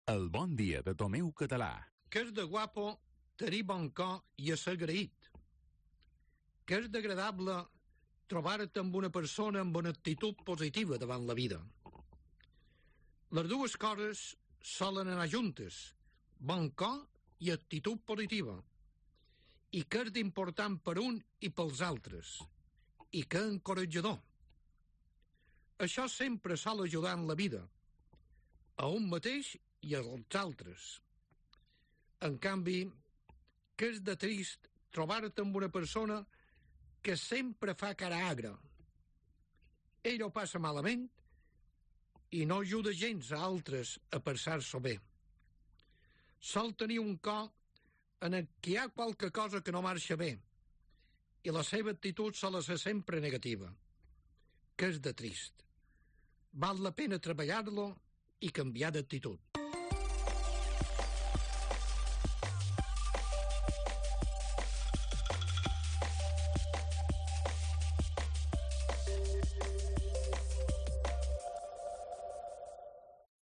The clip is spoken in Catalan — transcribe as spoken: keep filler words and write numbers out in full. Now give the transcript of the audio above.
El bon dia de Tomeu Català. Que és de guapo tenir bon cor i ésser agraït. Que és d'agradable trobar-te amb una persona amb una actitud positiva davant la vida. Les dues coses solen anar juntes, bon cor i actitud positiva. I que és d'important per un i pels altres. I que és encoratjador. Això sempre sol ajudar en la vida, a un mateix i als altres. En canvi, que és de trist trobar-te amb una persona que sempre fa cara agra. Ell ho passa malament i no ajuda gens a altres a passar-s'ho bé. Sol tenir un cor en el que hi ha qualque cosa que no marxa bé i la seva actitud sol ser sempre negativa. Que és de trist. Val la pena treballar-lo i canviar d'actitud.